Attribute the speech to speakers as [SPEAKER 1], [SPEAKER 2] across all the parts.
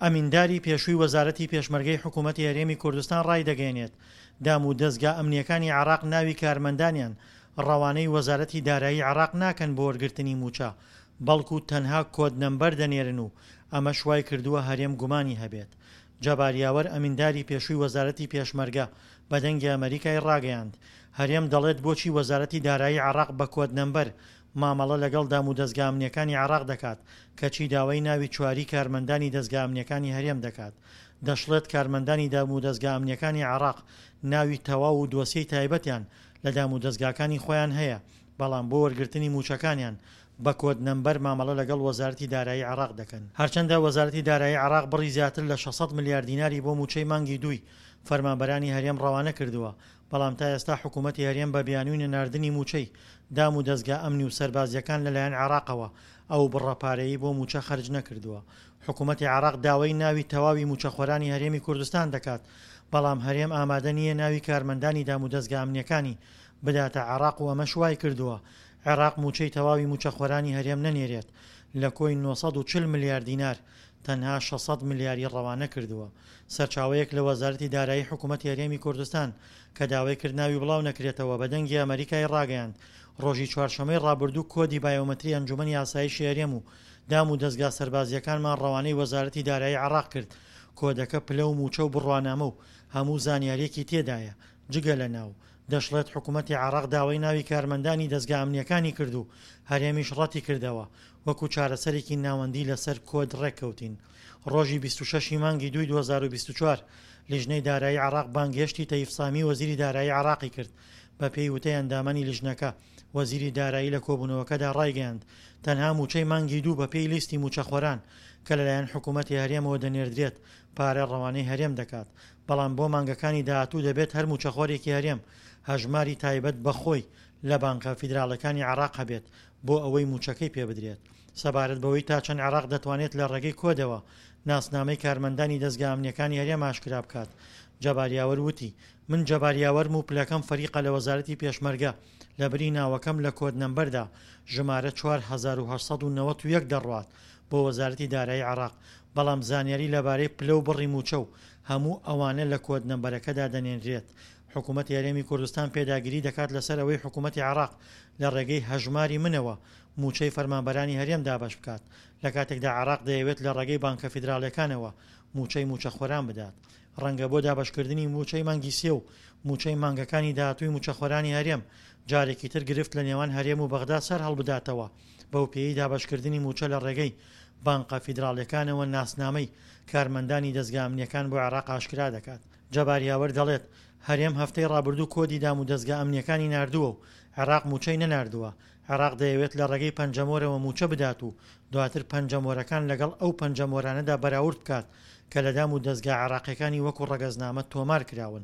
[SPEAKER 1] ئەمینداری پێشووی وەزارەتی پێشمەرگەی حکوومەتی هەرێمی کوردستان ڕایدەگەیەنێت، دام و دەزگا ئەمنییەکانی عێراق ناوی کارمەندانیان ڕەوانەی وەزارەتی دارایی عێراق ناکەن بۆ وەرگرتنی مووچە، بەڵکو تەنها کۆد نەمبەر دەنێرن و ئەمەش وایکردووە هەرێم گومانی هەبێت. جەبار یاوەر ئەمینداری پێشووی وەزارەتی پێشمەرگە بە دەنگی ئەمەریکای ڕاگەیاند، هەرێم دەڵێت بۆچی وەزارەتی دارایی عێراق بە کۆد نەمبەر مامەڵە لەگەڵ دامودەزگا ئەمنییەکانی عێراق دەکات، کەچی داوای ناوی چواری کارمەندانی دەزگا ئەمنییەکانی هەرێم دەکات. دەشڵێت کارمەندانی دامودەزگا ئەمنییەکانی عێراق ناوی تەواو و دۆسیەی تایبەتیان لە دامودەزگاکانی خۆیان هەیە، بەڵام بۆ وەرگرتنی مووچەکانیان بە کۆد نەمبەر مامەڵە لەگەڵ وەزارەتی دارایی عێراق دەکەن. هەرچەندە وەزارەتی دارایی عێراق بڕی زیاتر لە 600 ملیار دیناری بۆ مووچەی مانگی دووی فەرمانبەرانی هەرێم ڕەوانە کردووە، بەڵام تا ئێستا حکوومەتی هەرێم بە بیانووی نەناردنی مووچەی دام و دەزگا ئەمنی و سەربازییەکان لەلایەن عێراقەوە ئەو بڕە پارەیەی بۆ مووچە خەرج نەکردووە. حکوومەتی عێراق داوای ناوی تەواوی مووچەخۆرانی هەرێمی کوردستان دەکات، بەڵام هەرێم ئامادە نییە ناوی کارمەندانی دامودەزگا ئەمنییەکانی بداتە عێراق و ئەمەش وایکردووە عێراق مووچەی تەواوی مووچەخۆرانی هەرێم نەنێرێت، لە کۆی 940 ملیار دینار تەنها 600 ملیاری ڕەوانە کردووە. سەرچاوەیەک لە وەزارەتی دارایی حکوومەتی هەرێمی کوردستان کە داوای کرد ناوی بڵاو نەکرێتەوە بە دەنگی ئەمەریکای ڕاگەیاند ڕۆژی چوارشەمەی ڕابردوو کۆدی بایۆمەتری ئەنجومەنی ئاسایشی هەرێم و دام و دەزگا سەربازییەکانمان ڕەوانەی وەزارەتی دارایی عێراق کرد، کۆدەکە پلە و مووچە و بڕوانامە و هەموو زانیارییەکی تێدایە جگە لە ناو. دەشڵێت حکومەتی عێراق داوای ناوی کارمەندانی دەزگا ئەمنییەکانی کرد و هەرێمیش ڕەتیکردەوە، وەکو چارەسەرێکی ناوەندی لەسەر کۆد ڕێککەوتین. ڕۆژی 26 ی مانگی دووی 2024 لیژنەی دارایی عێراق بانگهێشتی تەیف سامی وەزیری دارایی عێراقی کرد، بەپێی وتەی ئەندامانی لیژنەکە، وەزیری دارایی لە کۆبوونەوەکەدا ڕایگەیاند، تەنها مووچەی مانگی دوو بەپێی لیستی مووچەخۆران کە لەلایەن حکوومەتی هەرێمەوە دەنێردرێت پارە ڕەوانەی هەرێم دەکات، بەڵام بۆ مانگەکانی داهاتوو دەبێت هەر مووچەخۆرێکی هەرێم هەژماری تایبەت بە خۆی لە بانقە فیدراڵەکانی عێراق هەبێت بۆ ئەوەی مووچەکەی پێبدرێت. سەبارەت بەوەی تا چەند عێراق دەتوانێت لە ڕێگەی کۆدەوە ناسنامەی کارمەندانی دەزگا ئەمنییەکانی هەرێم ئاشکرا بکات، جەبار یاوەر وتی، من جەبار یاوەرم و پلەکەم فەریقە لە وەزارەتی پێشمەرگە، لەبری ناوەکەم لە کۆد نەمبەردا ژمارە 4891 دەڕوات بۆ وەزارەتی دارایی عێراق، بەڵام زانیاری لەبارەی پلە و بڕی مووچە و هەموو ئەوانە لە کۆد نەمبەرەکەدا دەنێنرێت. حکوومەتی هەرێمی کوردستان پێداگری دەکات لەسەر ئەوەی حکوومەتی عێراق لە ڕێگەی هەژماری منەوە مووچەی فەرمانبەرانی هەرێم دابەش بکات، لە کاتێکدا عێراق دەیەوێت لە ڕێگەی بانکە فیدراڵیەکانەوە مووچەی مووچەخۆران بدات. ڕەنگە بۆ دابەشکردنی مووچەی مانگی سێ و مووچەی مانگەکانی داهاتووی مووچەخۆرانی هەرێم جارێکی تر گرفت لە نێوان هەرێم و بەغدا سەر هەڵبداتەوە، بەوپێیەی دابەشکردنی مووچە لە ڕێگەی بانقە فیدراڵیەکانەوە ناسنامەی کارمەندانی دەزگا ئەمنیەکان بۆ عێراق ئاشکرا دەکات. جەبار یاوەر دەڵێت، هەرێم هەفتەی ڕابردوو کۆدی دامودەزگا ئەمنیەکانی ناردووە و عێراق مووچەی نەناردووە، عێراق دەیەوێت لە ڕێگەی پەنجەمۆرەوە مووچە بدات و دواتر پەنجەمۆرەکان لەگەڵ ئەو پەنجەمۆرانەدا بەراورد بکات کە لە دام و دەزگا عێراقیەکانی وەکو ڕەگەزنامە تۆمار کراون.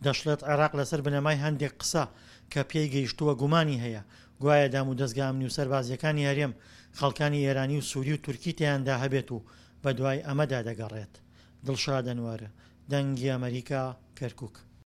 [SPEAKER 1] دەشڵێت عێراق لەسەر بنەمای هەندێک قسە کە پێی گەیشتووە گومانی هەیە گوایە دام و دەزگا ئەمنی و سەربازیەکانی هەرێم خەڵکانی ئێرانی و سوری و تورکی تێیاندا هەبێت و بەدوای ئەمەدا دەگەڕێت. دڵشاد ئەنوەر، دەنگی ئەمەریکا، کەرکوک.